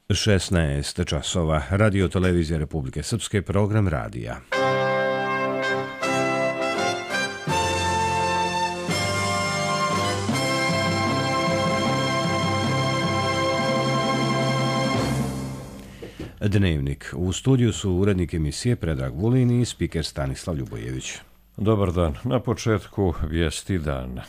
16 časova. Radio Televizija Republike Srpske, program radija. Dnevnik. U studiju su urednik emisije Predrag Vulin i spiker Stanislav Ljubojević. Dobar dan. Na početku vijesti dana.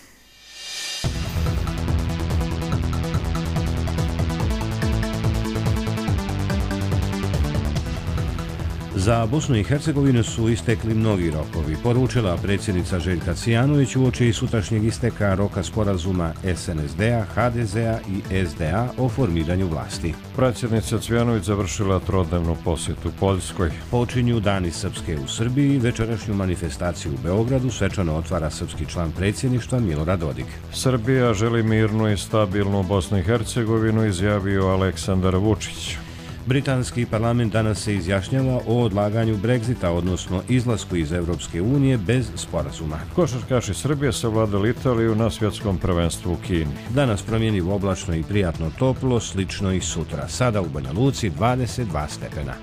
Za Bosnu i Hercegovinu su istekli mnogi rokovi, poručila predsjednica Željka Cvijanović uoči sutrašnjeg isteka roka sporazuma SNSD-a, HDZ-a i SDA o formiranju vlasti. Predsjednica Cvijanović završila trodnevnu posjetu Poljskoj. Počinju Dani Srpske u Srbiji, večerašnju manifestaciju u Beogradu svečano otvara srpski član predsjedništva Milorad Dodik. Srbija želi mirnu i stabilnu Bosnu i Hercegovinu, izjavio Aleksandar Vučić. Britanski parlament danas se izjašnjava o odlaganju Brexita, odnosno izlasku iz Europske unije bez sporazuma. Košarkaši Srbije savladali Italiju na svjetskom prvenstvu u Kini. Danas promjenjivo oblačno i prijatno toplo, slično i sutra. Sada u Banja Luci 22 stepena.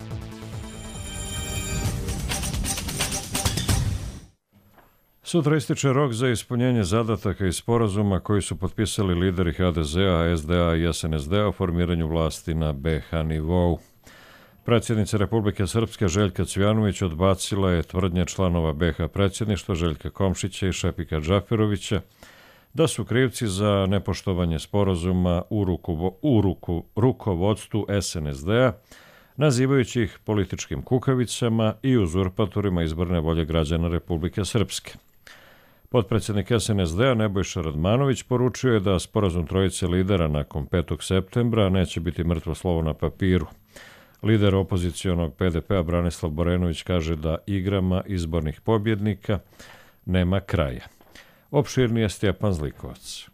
Sutra ističe rok za ispunjenje zadataka i sporazuma koji su potpisali lideri HDZ-a, SDA i SNSD-a o formiranju vlasti na BiH nivou. Predsjednica Republike Srpske Željka Cvijanović odbacila je tvrdnje članova BiH predsjedništva Željka Komšića i Šefika Džaferovića da su krivci za nepoštovanje sporazuma u rukovodstvu SNSD-a, nazivajući ih političkim kukavicama i uzurpatorima izborne volje građana Republike Srpske. Potpredsjednik SNSD-a Nebojša Radmanović poručio je da sporazum trojice lidera nakon 5. septembra neće biti mrtvo slovo na papiru. Lider opozicionog PDP-a Branislav Borenović kaže da igrama izbornih pobjednika nema kraja. Opširnije Stjepan Zlikovac.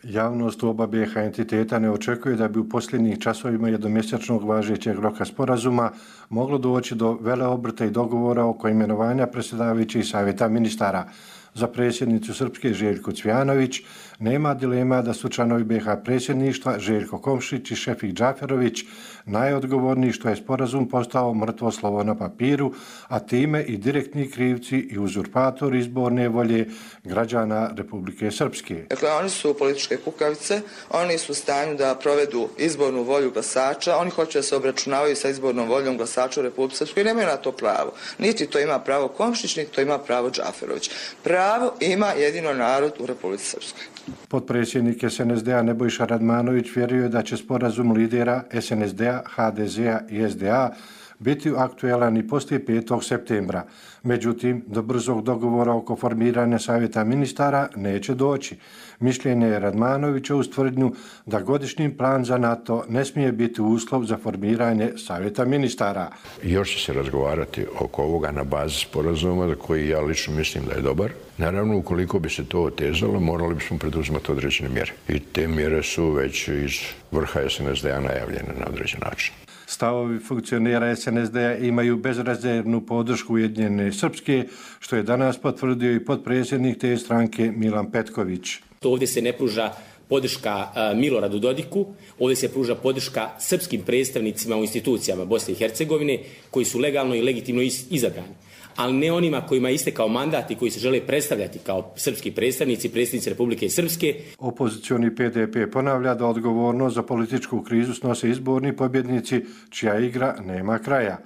Javnost u oba BiH entiteta ne očekuje da bi u posljednjih časovima jednomjesečnog važećeg roka sporazuma moglo doći do veleobrta i dogovora oko imenovanja predsjedavajućih savjeta ministara. Za predsjednicu Srpske Željku Cvijanović nema dilema da su članovi BiH predsjedništva Željko Komšić i Šefik Džaferović najodgovorniji što je sporazum postao mrtvo slovo na papiru, a time i direktni krivci i uzurpatori izborne volje građana Republike Srpske. Dakle, oni su političke kukavice, oni su u stanju da provedu izbornu volju glasača, oni hoće da se obračunavaju sa izbornom voljom glasača u Republike Srpskoj i nemaju na to pravo. Niti to ima pravo Komšić, niti to ima pravo Džaferović. Pravo ima jedino narod u Republici Srpskoj. Potpredsjednik SNSD-a Nebojša Radmanović vjeruje da će sporazum lidera SNSD-a, HDZ-a i SDA biti aktuelan i poslije 5. septembra. Međutim, do brzog dogovora oko formiranja savjeta ministara neće doći. Mišljenje je Radmanovića uz tvrdnju da godišnji plan za NATO ne smije biti uslov za formiranje savjeta ministara. Još će se razgovarati oko ovoga na bazi sporazuma za koji ja lično mislim da je dobar. Naravno, ukoliko bi se to otezalo, morali bismo preduzimati određene mjere. I te mjere su već iz vrha SNSD-a najavljene na određen način. Stavovi funkcionera SNSD-a imaju bezrezervnu podršku Ujedinjene Srpske, što je danas potvrdio i potpredsjednik te stranke Milan Petković. Ovdje se ne pruža podrška Miloradu Dodiku, ovdje se pruža podrška srpskim predstavnicima u institucijama Bosne i Hercegovine koji su legalno i legitimno izabrani, ali ne onima kojima je istekao mandat i koji se žele predstavljati kao srpski predstavnici, predsjednici Republike Srpske. Opozicioni PDP ponavlja da odgovornost za političku krizu snose izborni pobjednici čija igra nema kraja.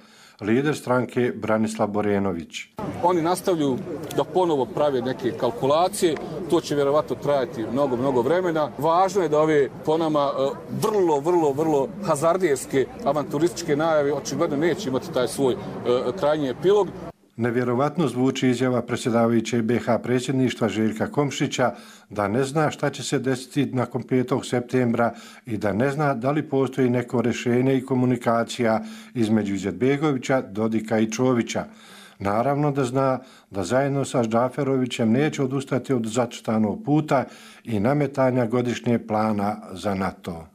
Lider stranke Branislav Borenović. Oni nastavljaju da ponovo prave neke kalkulacije, to će vjerovatno trajati mnogo vremena. Važno je da ove po nama vrlo hazardijerske avanturističke najave očigledno neće imati taj svoj krajnji epilog. Nevjerovatno zvuči izjava predsjedavajućeg BiH predsjedništva Željka Komšića da ne zna šta će se desiti nakon 5. septembra i da ne zna da li postoji neko rješenje i komunikacija između Izetbegovića, Dodika i Čovića. Naravno da zna da zajedno sa Džaferovićem neće odustati od zacrtanog puta i nametanja godišnjeg plana za NATO.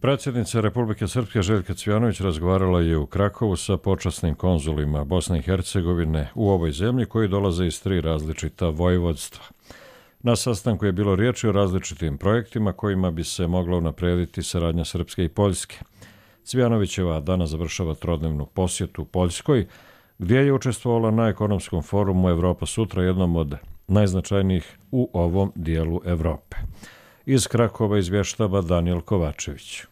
Predsjednica Republike Srpske Željka Cvijanović razgovarala je u Krakovu sa počasnim konzulima Bosne i Hercegovine u ovoj zemlji koji dolaze iz 3 različita vojvodstva. Na sastanku je bilo riječi o različitim projektima kojima bi se mogla unaprediti saradnja Srpske i Poljske. Cvijanovićeva danas završava trodnevnu posjetu Poljskoj, gdje je učestvovala na ekonomskom forumu Evropa sutra, jednom od najznačajnijih u ovom dijelu Evrope. Iz Krakova izvještava Danijel Kovačević.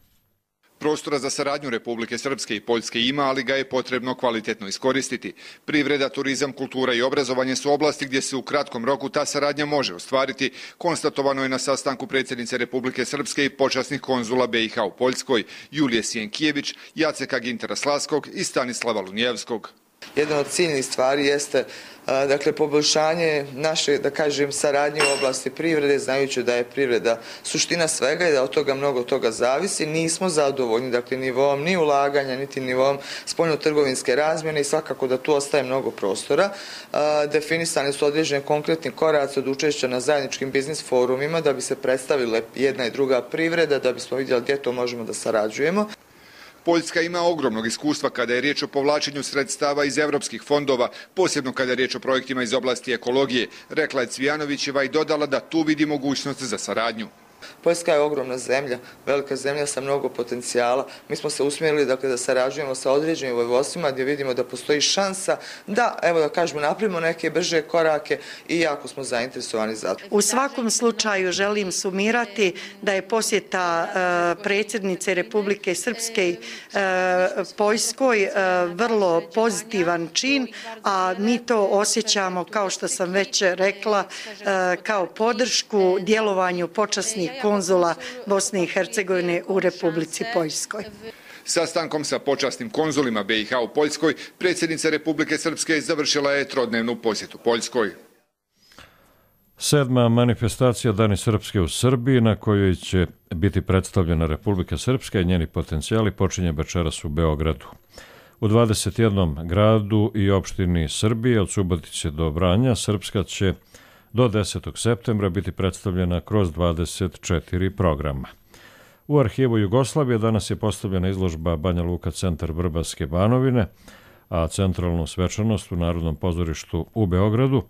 Prostora za saradnju Republike Srpske i Poljske ima, ali ga je potrebno kvalitetno iskoristiti. Privreda, turizam, kultura i obrazovanje su oblasti gdje se u kratkom roku ta saradnja može ostvariti, konstatovano je na sastanku predsjednice Republike Srpske i počasnih konzula BiH u Poljskoj, Julije Sienkijević, Jaceka Gintera Slaskog i Stanislava Lunjevskog. Jedna od ciljnih stvari jeste poboljšanje naše, saradnje u oblasti privrede, znajući da je privreda suština svega i da od toga mnogo toga zavisi. Nismo zadovoljni, nivom ni ulaganja, niti nivom spoljnotrgovinske razmjene i svakako da tu ostaje mnogo prostora. Definisani su određeni konkretni koraci od učešća na zajedničkim biznis forumima da bi se predstavile jedna i druga privreda, da bismo vidjeli gdje to možemo da sarađujemo. Poljska ima ogromnog iskustva kada je riječ o povlačenju sredstava iz evropskih fondova, posebno kada je riječ o projektima iz oblasti ekologije, rekla je Cvijanovićeva i dodala da tu vidi mogućnost za saradnju. Poljska je ogromna zemlja, velika zemlja sa mnogo potencijala. Mi smo se usmjerili da sarađujemo sa određenim vojvodstvima gdje vidimo da postoji šansa da, napravimo neke brže korake i jako smo zainteresovani za to. U svakom slučaju želim sumirati da je posjeta predsjednice Republike Srpske Poljskoj vrlo pozitivan čin, a mi to osjećamo, kao što sam već rekla, kao podršku djelovanju počasnih konzula Bosne i Hercegovine u Republici Poljskoj. Sastankom sa počasnim konzulima BiH u Poljskoj, predsjednica Republike Srpske završila je trodnevnu posjetu Poljskoj. 7. manifestacija Dani Srpske u Srbiji, na kojoj će biti predstavljena Republika Srpska i njeni potencijali, počinje večeras u Beogradu. U 21. gradu i opštini Srbije, od Subotice do Vranja, Srpska će do 10. septembra biti predstavljena kroz 24 programa. U arhivu Jugoslavije danas je postavljena izložba Banja Luka centar Vrbaske Banovine, a centralnu svečanost u Narodnom pozorištu u Beogradu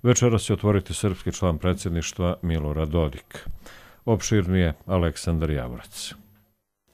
večeras će otvoriti srpski član predsjedništva Milorad Dodik. Opširnije Aleksandar Javorac.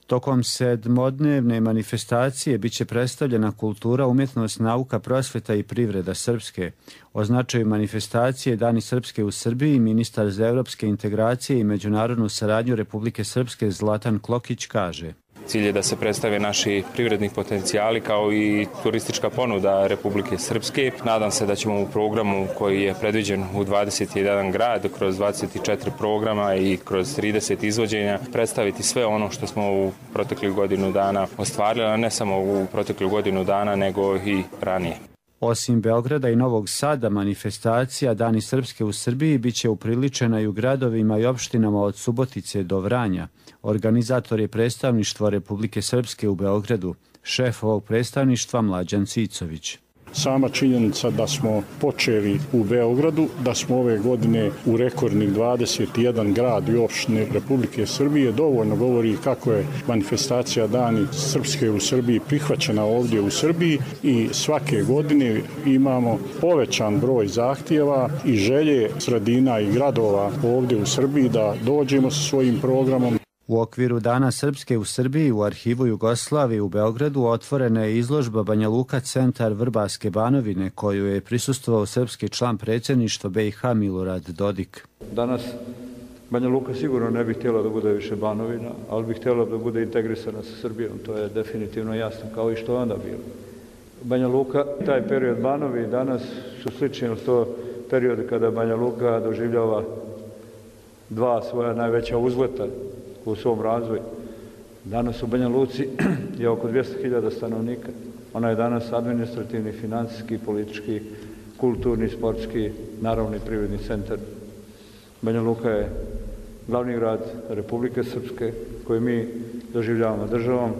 Tokom sedmodnevne manifestacije biće predstavljena kultura, umjetnost, nauka, prosveta i privreda Srpske. O značaju manifestacije Dani Srpske u Srbiji ministar za evropske integracije i međunarodnu saradnju Republike Srpske Zlatan Klokić kaže: Cilj je da se predstave naši privredni potencijali kao i turistička ponuda Republike Srpske. Nadam se da ćemo u programu koji je predviđen u 21 grad, kroz 24 programa i kroz 30 izvođenja predstaviti sve ono što smo u proteklih godinu dana ostvarili, a ne samo u proteklih godinu dana, nego i ranije. Osim Beograda i Novog Sada, manifestacija Dani Srpske u Srbiji biće upriličena i u gradovima i opštinama od Subotice do Vranja. Organizator je predstavništvo Republike Srpske u Beogradu, šef ovog predstavništva Mlađan Cicović. Sama činjenica da smo počeli u Beogradu, da smo ove godine u rekordnih 21 grad i opštine Republike Srbije dovoljno govori kako je manifestacija Dani Srpske u Srbiji prihvaćena ovdje u Srbiji i svake godine imamo povećan broj zahtjeva i želje sredina i gradova ovdje u Srbiji da dođemo sa svojim programom. U okviru Dana Srpske u Srbiji u arhivu Jugoslavije u Beogradu otvorena je izložba Banja Luka centar Vrbaske Banovine, koju je prisustvovao srpski član predsjedništva BiH Milorad Dodik. Danas Banja Luka sigurno ne bi htjela da bude više Banovina, ali bi htjela da bude integrisana sa Srbijom, to je definitivno jasno, kao i što je onda bilo. Banja Luka, taj period Banovi danas su slični od to periode kada Banja Luka doživljava dva svoja najveća uzleta u svom razvoju. Danas u Banja Luci je oko 200.000 stanovnika. Ona je danas administrativni, financijski, politički, kulturni, sportski, naravno i privredni centar. Banja Luka je glavni grad Republike Srpske koju mi doživljavamo državom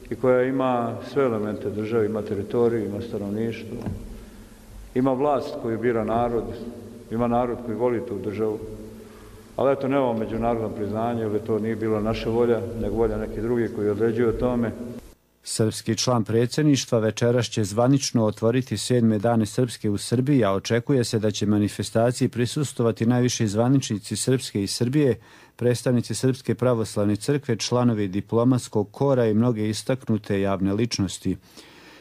i koja ima sve elemente države, ima teritoriju, ima stanovništvo, ima vlast koju bira narod, ima narod koji voli tu državu. Ali eto, nemamo međunarodno priznanje, jer to nije bila naša volja, nego volja neki drugi koji određuju o tome. Srpski član predsjedništva večeras će zvanično otvoriti 7. dane Srpske u Srbiji, a očekuje se da će manifestaciji prisustvovati najviši zvaničnici Srpske i Srbije, predstavnici Srpske pravoslavne crkve, članovi diplomatskog kora i mnoge istaknute javne ličnosti.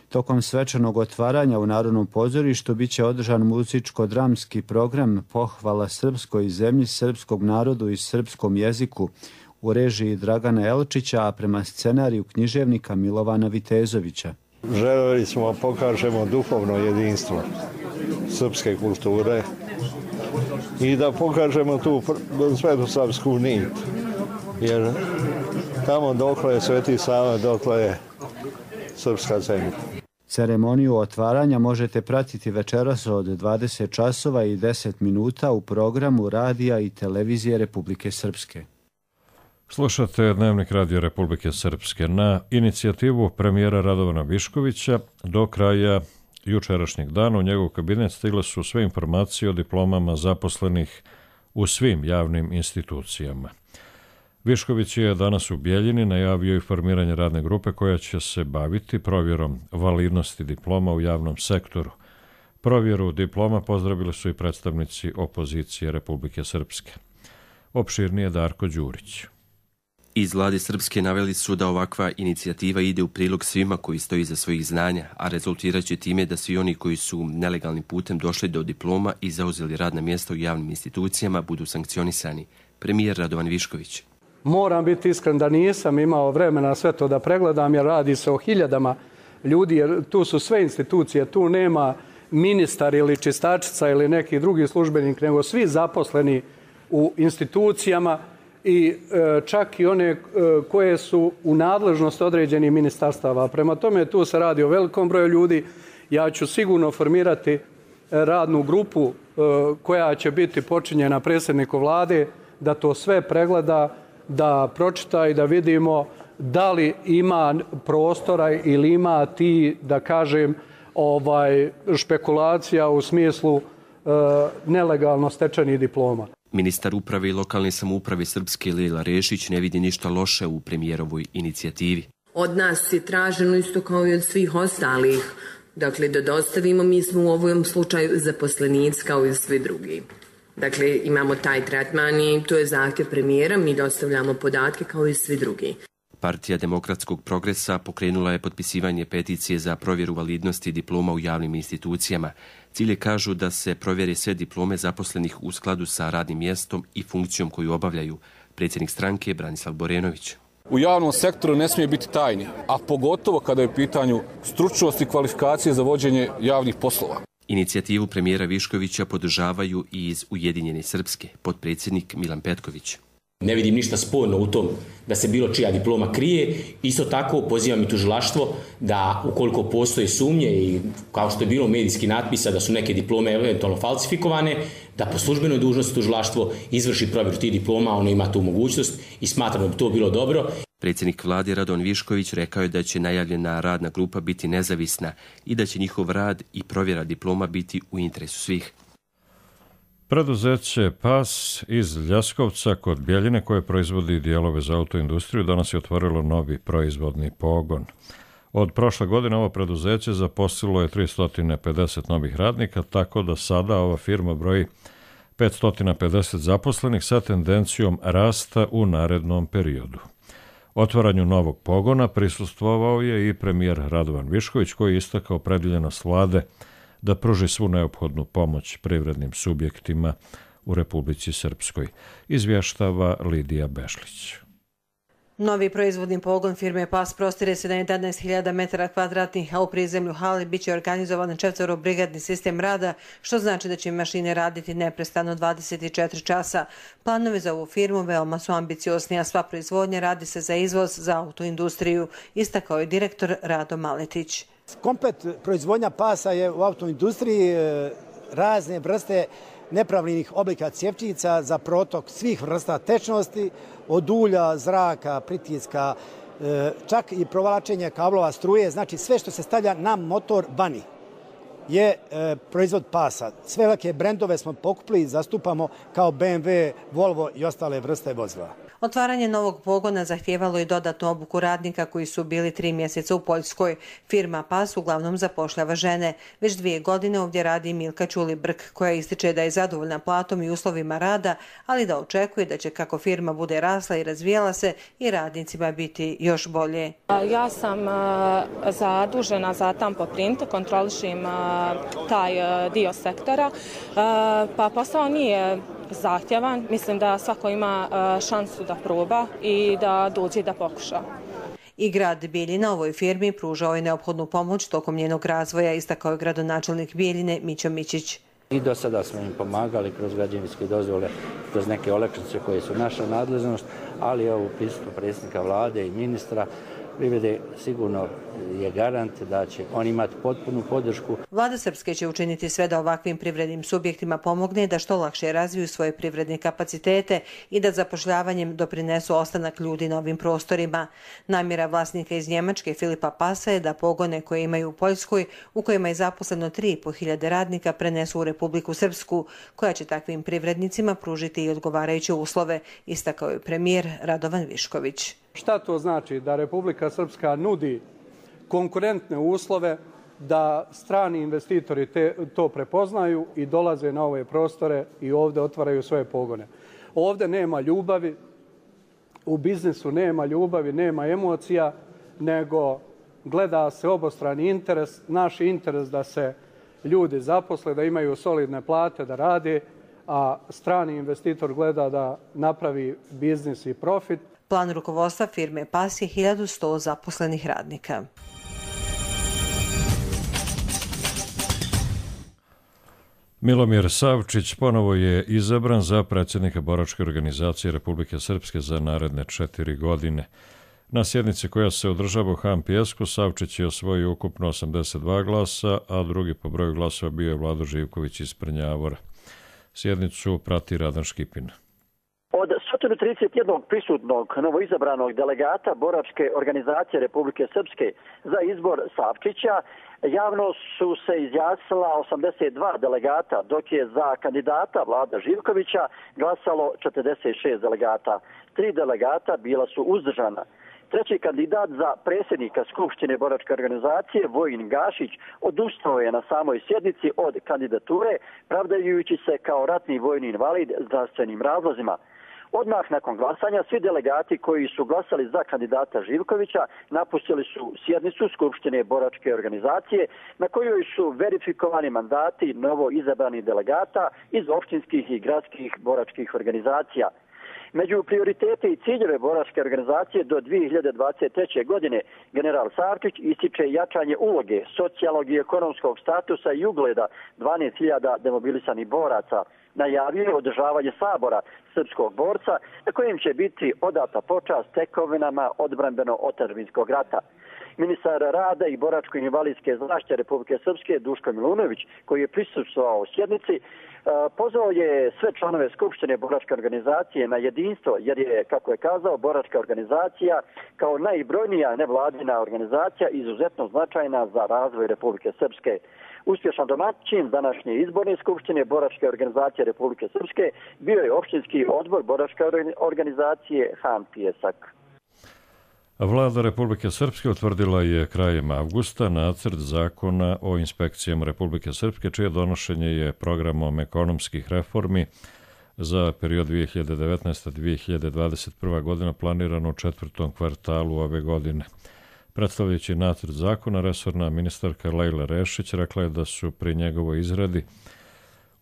Tokom svečanog otvaranja u Narodnom pozorištu biće održan muzičko-dramski program Pohvala srpskoj zemlji, srpskog narodu i srpskom jeziku u režiji Dragana Elčića, a prema scenariju književnika Milovana Vitezovića. Želeli smo da pokažemo duhovno jedinstvo srpske kulture i da pokažemo tu svetosavsku nit, jer tamo dokle je Sveti Sava, dokle je srpska zemlja. Ceremoniju otvaranja možete pratiti večeras od 20 časova i 10 minuta u programu Radija i televizije Republike Srpske. Slušate Dnevnik Radija Republike Srpske. Na inicijativu premijera Radovana Viškovića do kraja jučerašnjeg dana u njegov kabinet stigle su sve informacije o diplomama zaposlenih u svim javnim institucijama. Višković je danas u Bijeljini najavio i formiranje radne grupe koja će se baviti provjerom validnosti diploma u javnom sektoru. Provjeru diploma pozdravili su i predstavnici opozicije Republike Srpske. Opširnije Darko Đurić. Iz vlade Srpske naveli su da ovakva inicijativa ide u prilog svima koji stoji iza svojih znanja, a rezultirat će time da svi oni koji su nelegalnim putem došli do diploma i zauzeli radna mjesta u javnim institucijama budu sankcionisani. Premijer Radovan Višković. Moram biti iskren da nisam imao vremena sve to da pregledam, jer radi se o hiljadama ljudi, jer tu su sve institucije, tu nema ministar ili čistačica ili neki drugi službenik, nego svi zaposleni u institucijama i čak i one koje su u nadležnosti određenih ministarstava. Prema tome, tu se radi o velikom broju ljudi. Ja ću sigurno formirati radnu grupu koja će biti počinjena predsjedniku vlade, da to sve pregleda, da pročita i da vidimo da li ima prostora ili ima ti, da kažem, špekulacija u smislu nelegalno stečenih diploma. Ministar uprave i lokalne samouprave Srpske Lejla Rešić ne vidi ništa loše u premijerovoj inicijativi. Od nas je traženo isto kao i od svih ostalih. Dakle, da dostavimo, mi smo u ovom slučaju zaposlenici kao i svi drugi. Dakle, imamo taj tretman i to je zahtjev premijera, mi dostavljamo podatke kao i svi drugi. Partija Demokratskog progresa pokrenula je potpisivanje peticije za provjeru validnosti diploma u javnim institucijama. Cilje kažu da se provjere sve diplome zaposlenih u skladu sa radnim mjestom i funkcijom koju obavljaju. Predsjednik stranke Branislav Borenović. U javnom sektoru ne smije biti tajni, a pogotovo kada je u pitanju stručnost i kvalifikacije za vođenje javnih poslova. Inicijativu premijera Viškovića podržavaju i iz Ujedinjene Srpske, potpredsjednik Milan Petković. Ne vidim ništa sporno u tom da se bilo čija diploma krije. Isto tako pozivam i tužilaštvo da ukoliko postoje sumnje i kao što je bilo medijski natpisa da su neke diplome eventualno falsifikovane, da po službenoj dužnosti tužilaštvo izvrši provjeru tih diploma, ono ima tu mogućnost i smatram da bi to bilo dobro. Predsjednik vlade Radovan Višković rekao je da će najavljena radna grupa biti nezavisna i da će njihov rad i provjera diploma biti u interesu svih. Preduzeće PAS iz Ljaskovca kod Bijeljine, koje proizvodi dijelove za autoindustriju, danas je otvorilo novi proizvodni pogon. Od prošle godine ovo preduzeće zaposlilo je 350 novih radnika, tako da sada ova firma broji 550 zaposlenih sa tendencijom rasta u narednom periodu. Otvaranju novog pogona prisustvovao je i premijer Radovan Višković, koji je istakao opredeljenost vlade da pruži svu neophodnu pomoć privrednim subjektima u Republici Srpskoj, izvještava Lidija Bešlić. Novi proizvodni pogon firme PAS prostire se na 11.000 metara kvadratnih, a u prizemlju hali biće organizovan 4-brigadni sistem rada, što znači da će mašine raditi neprestano 24 časa. Planovi za ovu firmu veoma su ambiciozni, a sva proizvodnja radi se za izvoz za autoindustriju, istakao je direktor Rado Maletić. Komplet proizvodnja pasa je u autoindustriji razne vrste nepravilnih oblika cjevčica za protok svih vrsta tečnosti, od ulja, zraka, pritiska, čak i provlačenje kablova struje, znači sve što se stavlja na motor vani. je proizvod pasa. Sve velike brendove smo pokupili i zastupamo kao BMW, Volvo i ostale vrste vozila. Otvaranje novog pogona zahtijevalo i dodatnu obuku radnika koji su bili 3 mjeseca u Poljskoj. Firma PAS uglavnom zapošljava žene. Već 2 godine ovdje radi Milka Ćulibrk, koja ističe da je zadovoljna platom i uslovima rada, ali da očekuje da će kako firma bude rasla i razvijala se i radnicima biti još bolje. Ja sam zadužena za Tampo Print, kontrolišim taj dio sektora, pa posao nije zahtjevan. Mislim da svako ima šansu da proba i da dođe da pokuša. I grad Bijeljina ovoj firmi pružao je neophodnu pomoć tokom njenog razvoja, istakao je gradonačelnik Bijeljine Mićo Mićić. I do sada smo im pomagali kroz građevinske dozvole, kroz neke olakšice koje su naša nadležnost, ali ovo pristup predsjednika vlade i ministra privrede sigurno je garant da će on imati potpunu podršku. Vlada Srpske će učiniti sve da ovakvim privrednim subjektima pomogne da što lakše razviju svoje privredne kapacitete i da zapošljavanjem doprinesu ostanak ljudi na ovim prostorima. Namjera vlasnika iz Njemačke Filipa Pasa je da pogone koje imaju u Poljskoj, u kojima je zaposleno 3.500 radnika, prenesu u Republiku Srpsku, koja će takvim privrednicima pružiti i odgovarajuće uslove, istakao je premijer Radovan Višković. Šta to znači? Da Republika Srpska nudi konkurentne uslove, da strani investitori to prepoznaju i dolaze na ove prostore i ovdje otvaraju svoje pogone. Ovdje nema ljubavi, u biznisu nema ljubavi, nema emocija, nego gleda se obostrani interes, naš interes da se ljudi zaposle, da imaju solidne plate, da rade, a strani investitor gleda da napravi biznis i profit. Plan rukovodstva firme PAS je 1100 zaposlenih radnika. Milomir Savčić ponovo je izabran za predsjednika Boračke organizacije Republike Srpske za naredne 4 godine. Na sjednici koja se održava u Han Pijesku, Savčić je osvojio ukupno 82 glasa, a drugi po broju glasova bio je Vlado Živković iz Prnjavora. Sjednicu prati Radan Škipin. Od 131 prisutnog novoizabranog delegata Boračke organizacije Republike Srpske za izbor Savčića javno su se izjasnila 82 delegata, dok je za kandidata Vlada Živkovića glasalo 46 delegata. 3 delegata bila su uzdržana. Treći kandidat za predsjednika Skupštine Boračke organizacije, Vojin Gašić, odustao je na samoj sjednici od kandidature, pravdajući se kao ratni vojni invalid zdravstvenim razlozima. Odmah nakon glasanja svi delegati koji su glasali za kandidata Živkovića napustili su sjednicu Skupštine Boračke organizacije, na kojoj su verifikovani mandati novo izabranih delegata iz općinskih i gradskih boračkih organizacija. Među prioritete i ciljeve Boračke organizacije do 2023. godine general Savčić ističe jačanje uloge socijalnog i ekonomskog statusa i ugleda 12.000 demobilisanih boraca. Najavio je održavanje sabora srpskog borca na kojem će biti odata počast tekovinama odbrambeno-otadžbinskog rata. Ministar rada i boračko-invalidske zaštite Republike Srpske Duško Milunović, koji je prisustvovao u sjednici, pozvao je sve članove Skupštine Boračke organizacije na jedinstvo, jer je, kako je kazao, Boračka organizacija kao najbrojnija nevladina organizacija izuzetno značajna za razvoj Republike Srpske. Uspješan domaćin današnje izborne Skupštine Boračke organizacije Republike Srpske bio je općinski odbor Boračke organizacije Han Pijesak. Vlada Republike Srpske utvrdila je krajem avgusta nacrt zakona o inspekcijama Republike Srpske, čije donošenje je programom ekonomskih reformi za period 2019-2021. godina planirano u 4. kvartalu ove godine. Predstavljajući nacrt zakona, resorna ministarka Lejla Rešić rekla je da su pri njegovoj izradi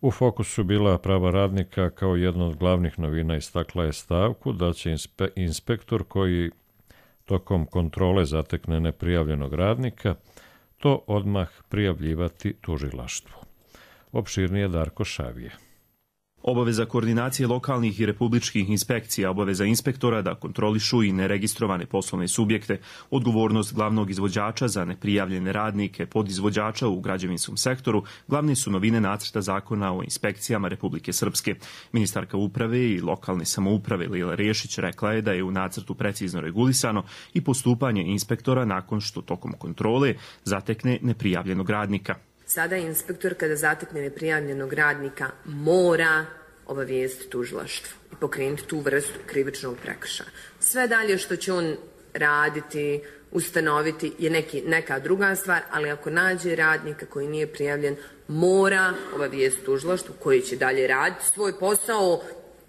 u fokusu bila prava radnika kao jedna od glavnih novina. Istakla je stavku da će inspektor koji tokom kontrole zatekne neprijavljenog radnika to odmah prijavljivati tužilaštvu. Opširnije Darko Šavije. Obaveza koordinacije lokalnih i republičkih inspekcija, obaveza inspektora da kontrolišu i neregistrovane poslovne subjekte, odgovornost glavnog izvođača za neprijavljene radnike, podizvođača u građevinskom sektoru, glavne su novine nacrta zakona o inspekcijama Republike Srpske. Ministarka uprave i lokalne samouprave Lejla Rešić rekla je da je u nacrtu precizno regulisano i postupanje inspektora nakon što tokom kontrole zatekne neprijavljenog radnika. Sada inspektor kada zatekne neprijavljenog radnika mora obavijestiti tužilaštvo i pokrenuti tu vrstu krivičnog prekršaja. Sve dalje što će on raditi, ustanoviti je neka druga stvar, ali ako nađe radnika koji nije prijavljen, mora obavijestiti tužilaštvo koji će dalje raditi svoj posao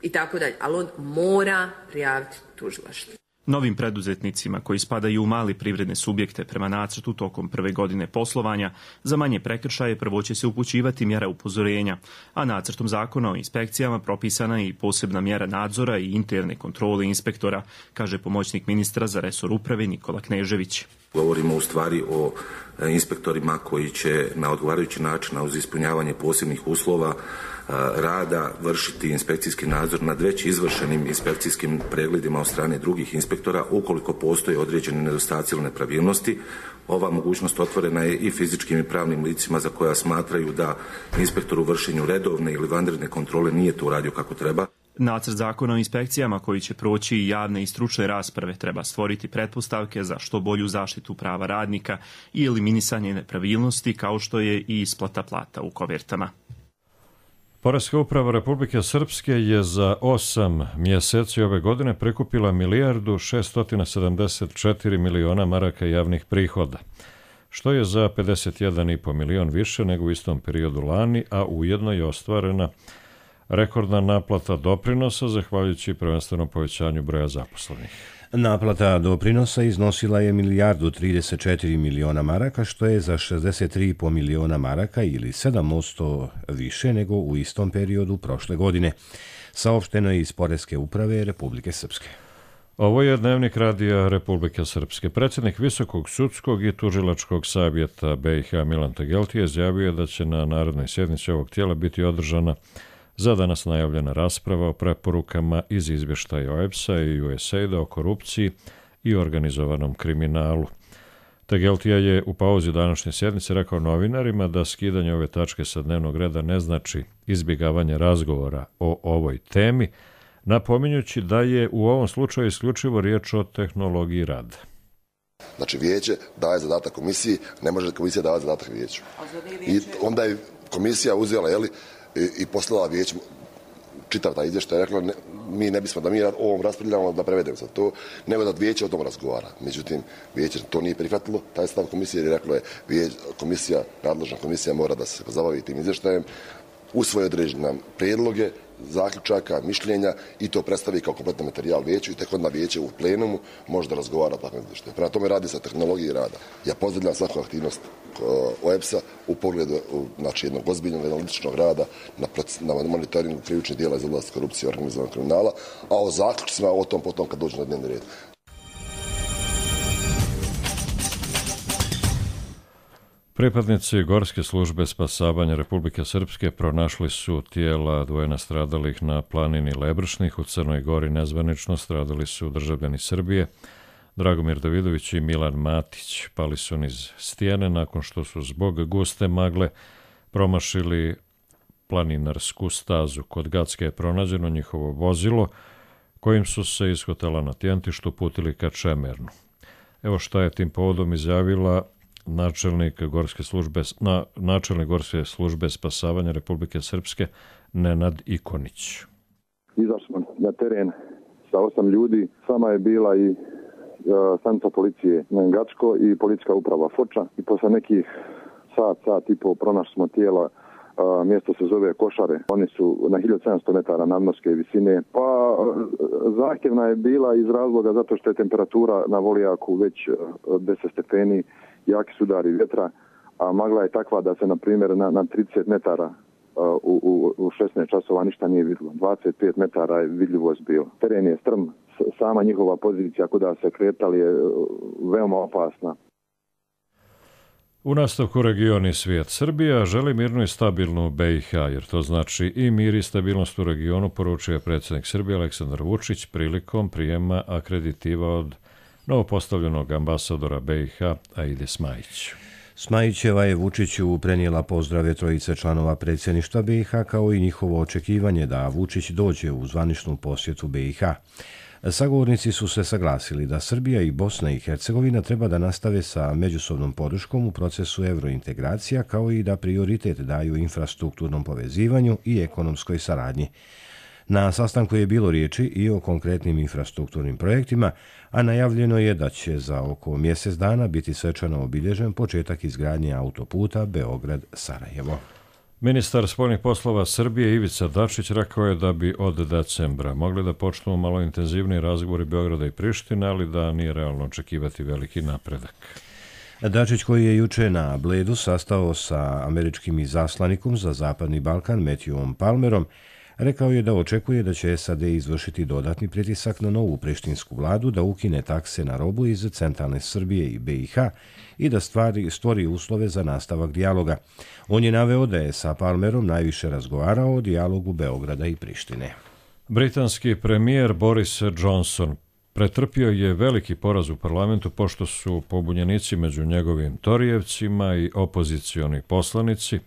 i tako dalje, ali on mora prijaviti tužilaštvo. Novim preduzetnicima koji spadaju u mali privredne subjekte prema nacrtu tokom prve godine poslovanja, za manje prekršaje prvo će se upućivati mjera upozorenja, a nacrtom zakona o inspekcijama propisana je i posebna mjera nadzora i interne kontrole inspektora, kaže pomoćnik ministra za resor uprave Nikola Knežević. Govorimo u stvari o inspektorima koji će na odgovarajući način uz ispunjavanje posebnih uslova rada vršiti inspekcijski nadzor nad već izvršenim inspekcijskim pregledima od strane drugih inspektora ukoliko postoje određene nedostaci ili nepravilnosti. Ova mogućnost otvorena je i fizičkim i pravnim licima za koja smatraju da inspektor u vršenju redovne ili vanredne kontrole nije to uradio kako treba. Nacrt zakona o inspekcijama koji će proći i javne i stručne rasprave treba stvoriti pretpostavke za što bolju zaštitu prava radnika i eliminisanje nepravilnosti kao što je i isplata plata u kovertama. Poreska uprava Republike Srpske je za 8 mjeseci ove godine prikupila 1.674 miliona maraka javnih prihoda, što je za 51,5 milion više nego u istom periodu lani, a ujedno je ostvarena rekordna naplata doprinosa zahvaljujući prvenstveno povećanju broja zaposlenih. Naplata doprinosa iznosila je 1.034 miliona maraka, što je za 63,5 miliona maraka ili 7% više nego u istom periodu prošle godine. Saopšteno je iz Poreske uprave Republike Srpske. Ovo je Dnevnik radija Republike Srpske. Predsjednik Visokog sudskog i tužilačkog savjeta BiH Milan Tegeltija izjavio da će na narodnoj sjednici ovog tijela biti održana za danas najavljena rasprava o preporukama iz izvještaja OEBS-a i USAID-a o korupciji i organizovanom kriminalu. Tegeltija je u pauzi današnje sjednice rekao novinarima da skidanje ove tačke sa dnevnog reda ne znači izbjegavanje razgovora o ovoj temi, napominjući da je u ovom slučaju isključivo riječ o tehnologiji rada. Znači vijeće daje zadatak komisiji, ne može komisija davati zadatak vijeću. I onda je komisija uzela, i poslala vijeću čitav taj izvještaj, rekla mi ne bismo da mi ovom raspravljamo da prevedemo za to, nego da vijeće o tom razgovara. Međutim, vijeće to nije prihvatilo, taj stav komisije, jer je reklo je nadležna komisija mora da se pozabavi tim izvještajem, usvoji određene prijedloge, zaključaka, mišljenja i to predstavi kao kompletan materijal vijeću i tek onda vijeće u plenumu može da razgovara o takvom izvještaju. Prema tome radi se o tehnologiji rada. Ja pozdravljam svaku aktivnost OEBS-a u pogledu jednog ozbiljnog analitičnog rada na monitoringu krivičnih djela iz oblasti korupcije i organizovanog kriminala, a o zaključcima o tom potom kad dođe na dnevni red. Pripadnici Gorske službe spasavanja Republike Srpske pronašli su tijela dvoje nastradalih na planini Lebršnih u Crnoj Gori. Nezvanično stradali su državljani Srbije, Dragomir Davidović i Milan Matić. Pali su niz stijene nakon što su zbog guste magle promašili planinarsku stazu. Kod Gacke je pronađeno njihovo vozilo kojim su se iz hotela na Tjentištu putili ka Čemernu. Evo šta je tim povodom izjavila načelnik Gorske službe spasavanja Republike Srpske Nenad Ikonić. Izašli smo na teren sa 8 ljudi, sama je bila i stanica policije Gacko i policijska uprava Foča i posle nekih sat i pol pronašli smo tijela. Mjesto se zove Košare. Oni su na 1700 metara nadmorske visine. Pa zahtjevna je bila iz razloga zato što je temperatura na Volijaku već 10 stepeni, jaki su udari vjetra, a magla je takva da se, na primjer, na 30 metara u 16 časova ništa nije vidjelo. 25 metara je vidljivost bila. Teren je strm, sama njihova pozicija kuda se kretali je veoma opasna. U nastavku region i svijet. Srbija želi mirnu i stabilnu BiH, jer to znači i mir i stabilnost u regionu, poručuje predsjednik Srbije Aleksandar Vučić prilikom prijema akreditiva od novopostavljenog ambasadora BiH Aide Smajić. Smajićeva je Vučiću prenijela pozdrave trojice članova predsjedništva BiH kao i njihovo očekivanje da Vučić dođe u zvaničnu posjetu BiH. Sagovornici su se saglasili da Srbija i Bosna i Hercegovina treba da nastave sa međusobnom podrškom u procesu evrointegracija kao i da prioritet daju infrastrukturnom povezivanju i ekonomskoj saradnji. Na sastanku je bilo riječi i o konkretnim infrastrukturnim projektima, a najavljeno je da će za oko mjesec dana biti svečano obilježen početak izgradnje autoputa Beograd-Sarajevo. Ministar spoljnih poslova Srbije Ivica Dačić rekao je da bi od decembra mogli da počnu malo intenzivniji razgovori Beograda i Prištine, ali da nije realno očekivati veliki napredak. Dačić, koji je juče na Bledu sastao sa američkim izaslanikom za Zapadni Balkan Matthewom Palmerom, rekao je da očekuje da će SAD izvršiti dodatni pritisak na novu prištinsku vladu da ukine takse na robu iz centralne Srbije i BiH i da stvori uslove za nastavak dijaloga. On je naveo da je sa Palmerom najviše razgovarao o dijalogu Beograda i Prištine. Britanski premijer Boris Johnson pretrpio je veliki poraz u parlamentu pošto su pobunjenici među njegovim torijevcima i opozicioni poslanici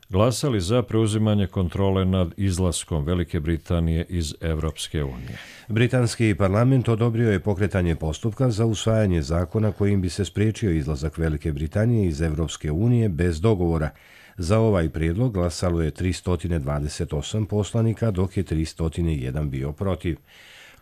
glasali za preuzimanje kontrole nad izlaskom Velike Britanije iz Evropske unije. Britanski parlament odobrio je pokretanje postupka za usvajanje zakona kojim bi se spriječio izlazak Velike Britanije iz Evropske unije bez dogovora. Za ovaj prijedlog glasalo je 328 poslanika, dok je 301 bio protiv.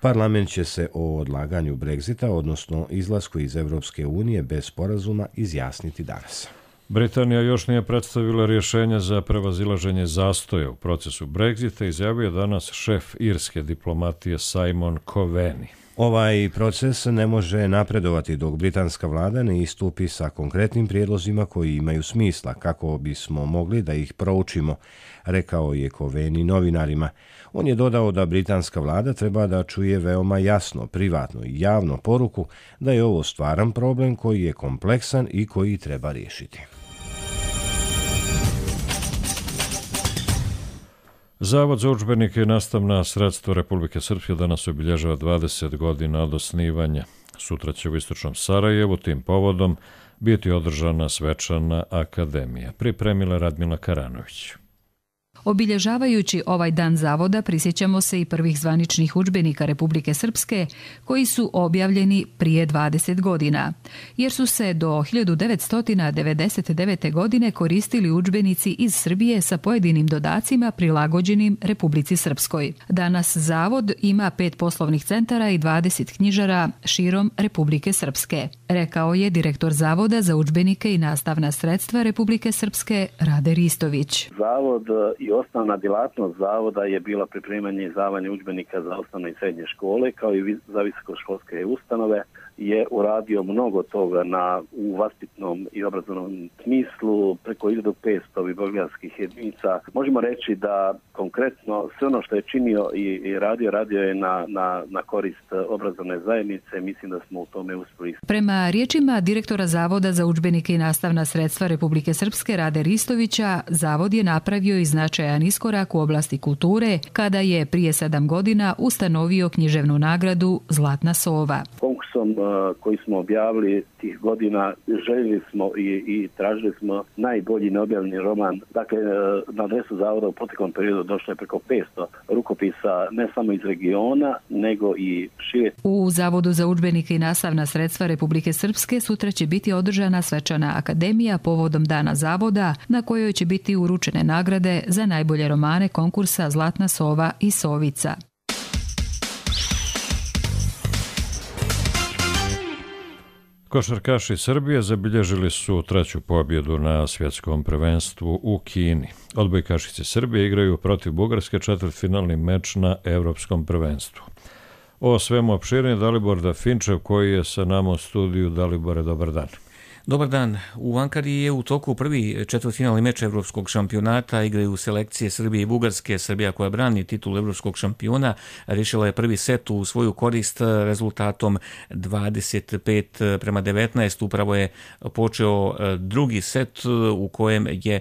Parlament će se o odlaganju Brexita, odnosno izlasku iz Evropske unije bez sporazuma, izjasniti danas. Britanija još nije predstavila rješenje za prevazilaženje zastoja u procesu Brexita, izjavio danas šef irske diplomatije Simon Coveney. Ovaj proces ne može napredovati dok britanska vlada ne istupi sa konkretnim prijedlozima koji imaju smisla, kako bismo mogli da ih proučimo, rekao je Coveney novinarima. On je dodao da britanska vlada treba da čuje veoma jasno, privatno i javno poruku da je ovo stvaran problem koji je kompleksan i koji treba riješiti. Zavod za udžbenike i nastavna sredstva Republike Srpske danas obilježava 20 godina od osnivanja. Sutra će u istočnom Sarajevu tim povodom biti održana svečana akademija. Pripremila Radmila Karanović. Obilježavajući ovaj dan zavoda prisjećamo se i prvih zvaničnih udžbenika Republike Srpske koji su objavljeni prije 20 godina, jer su se do 1999. godine koristili udžbenici iz Srbije sa pojedinim dodacima prilagođenim Republici Srpskoj. Danas zavod ima 5 poslovnih centara i 20 knjižara širom Republike Srpske, rekao je direktor Zavoda za udžbenike i nastavna sredstva Republike Srpske Rade Ristović. Zavod i osnovna djelatnost zavoda je bila pripremanje i izdavanje udžbenika za osnovne i srednje škole, kao i za visokoškolske ustanove. Je uradio mnogo toga u vaspitnom i obrazovnom smislu, preko 1500 bibliografskih jedinica. Možemo reći da konkretno sve ono što je činio i radio je na korist obrazovne zajednice. Mislim da smo u tome uspjeli. Prema riječima direktora Zavoda za udžbenike i nastavna sredstva Republike Srpske Rade Ristovića, zavod je napravio i značajan iskorak u oblasti kulture kada je prije 7 godina ustanovio književnu nagradu Zlatna sova. Konkursom koji smo objavili tih godina željeli smo i tražili smo najbolji neobjavljeni roman. Dakle, na adresu zavoda u proteklom periodu došlo je preko 500 rukopisa, ne samo iz regiona, nego i šire. U Zavodu za udžbenike i nastavna sredstva Republike Srpske sutra će biti održana svečana akademija povodom Dana zavoda, na kojoj će biti uručene nagrade za najbolje romane konkursa Zlatna sova i Sovica. Košarkaši Srbije zabilježili su 3. pobjedu na svjetskom prvenstvu u Kini. Odbojkašice Srbije igraju protiv Bugarske četvrtfinalni meč na Evropskom prvenstvu. O svemu opširnije Dalibor Dafinčev koji je sa nama u studiju. Dalibore, dobar dan. Dobar dan. U Ankari je u toku prvi četvrtfinalni meč Evropskog šampionata. Igraju selekcije Srbije i Bugarske. Srbija, koja brani titul Evropskog šampiona, rješila je prvi set u svoju korist rezultatom 25-19. Upravo je počeo drugi set u kojem je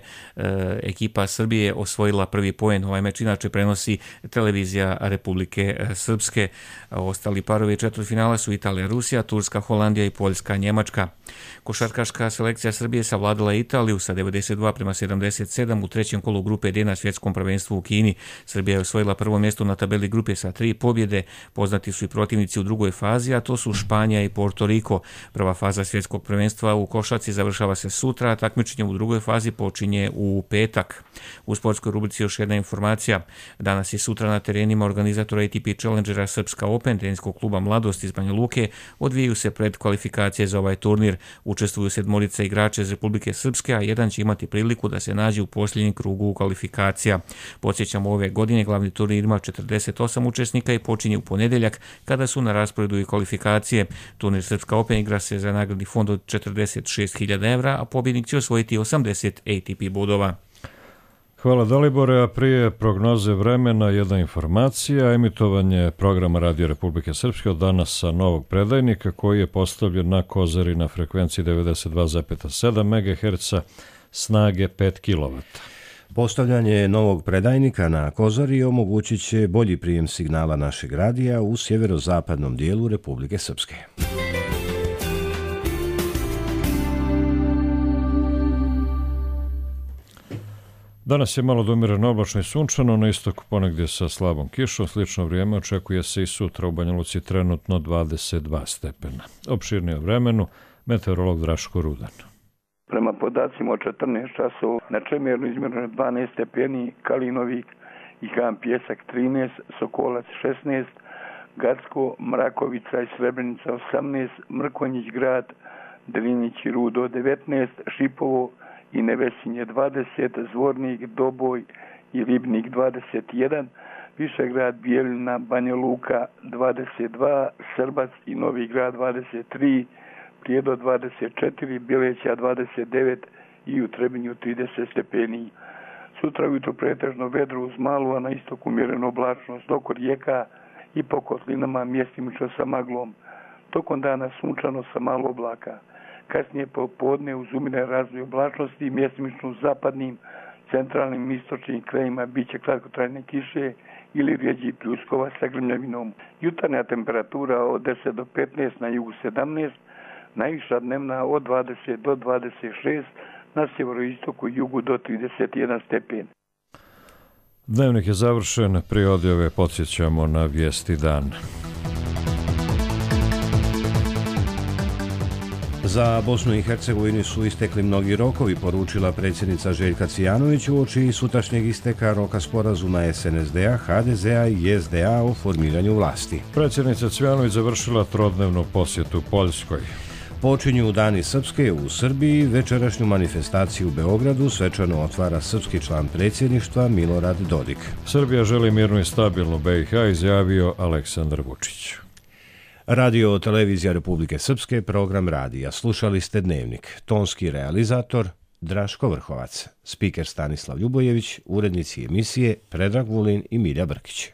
ekipa Srbije osvojila prvi poen. Ovaj meč inače prenosi televizija Republike Srpske. Ostali parovi četvrtfinala su Italija, Rusija, Turska, Holandija i Poljska, Njemačka. Košarkaši Košarkaška selekcija Srbije savladala Italiju sa 92-77 u trećem kolu grupe D na svjetskom prvenstvu u Kini. Srbija je osvojila prvo mjesto na tabeli grupe sa 3 pobjede. Poznati su i protivnici u drugoj fazi, a to su Španija i Porto Riko. Prva faza svjetskog prvenstva u košarci završava se sutra, a takmičenje u drugoj fazi počinje u petak. U sportskoj rubrici još jedna informacija. Danas i sutra na terenima organizatora ATP Challengera Srpska Open teniskog kluba Mladost iz Banja Luke odvijaju se predkvalifikacije za ovaj turnir. Učestvuju 7 igrača iz Republike Srpske, a jedan će imati priliku da se nađe u posljednjem krugu kvalifikacija. Podsjećamo, ove godine glavni turnir ima 48 učesnika i počinje u ponedjeljak kada su na rasporedu i kvalifikacije. Turnir Srpska Open igra se za nagradni fond od 46.000 evra, a pobjednik će osvojiti 80 ATP bodova. Hvala Dalibore, a prije prognoze vremena jedna informacija. Emitovanje programa Radio Republike Srpske od danas sa novog predajnika koji je postavljen na Kozari na frekvenciji 92,7 MHz snage 5 kW. Postavljanje novog predajnika na Kozari omogućit će bolji prijem signala našeg radija u sjeverozapadnom dijelu Republike Srpske. Danas je malo domirano, oblačno i sunčano, na istoku ponegdje sa slabom kišom. Slično vrijeme očekuje se i sutra, u Banja Luci trenutno 22 stepena. Opširnije o vremenu, meteorolog Draško Rudan. Prema podacima od 14 časova na Čemernu izmjereno 12 stepeni, Kalinovik i Kamp Pjesak 13, Sokolac 16, Gacko, Mrakovica i Srebrenica 18, Mrkonjić grad, Drinić i Rudo 19, Šipovo i Nevesinje 20, Zvornik, Doboj i Ribnik 21, Višegrad, Bijeljina, Banja Luka 22, Srbac i Novi grad 23, Prijedo 24, Bileća 29 i u Trebinju 30 stepeni. Sutra ujutro pretežno vedro uz malu, a na istoku umjereno oblačnost oko rijeka i po kotlinama mjestimično sa maglom. Tokom dana sunčano sa malo oblaka. Kasnije popodne uz umjerene razvoj oblačnosti mjestimično u zapadnim, centralnim i istočnim krajima biće kratkotrajne kiše ili rijeđi pljuskova sa grmljavinom. Jutarnja temperatura od 10 do 15, na jugu 17, najviša dnevna od 20 do 26, na sjeveroistoku i jugu do 31 stepen. Dnevnik je završen, prije odjave podsjećamo na vijesti dan. Za Bosnu i Hercegovinu su istekli mnogi rokovi, poručila predsjednica Željka Cvijanović uoči sutrašnjeg isteka roka sporazuma SNSD-a, HDZ-a i SDA o formiranju vlasti. Predsjednica Cvijanović završila trodnevnu posjetu Poljskoj. Počinju Dani Srpske u Srbiji, večerašnju manifestaciju u Beogradu svečano otvara srpski član predsjedništva Milorad Dodik. Srbija želi mirnu i stabilnu BiH, izjavio Aleksandar Vučić. Radio Televizija Republike Srpske, program radija. Slušali ste Dnevnik. Tonski realizator Draško Vrhovac. Spiker Stanislav Ljubojević, urednici emisije Predrag Vulin i Milja Brkić.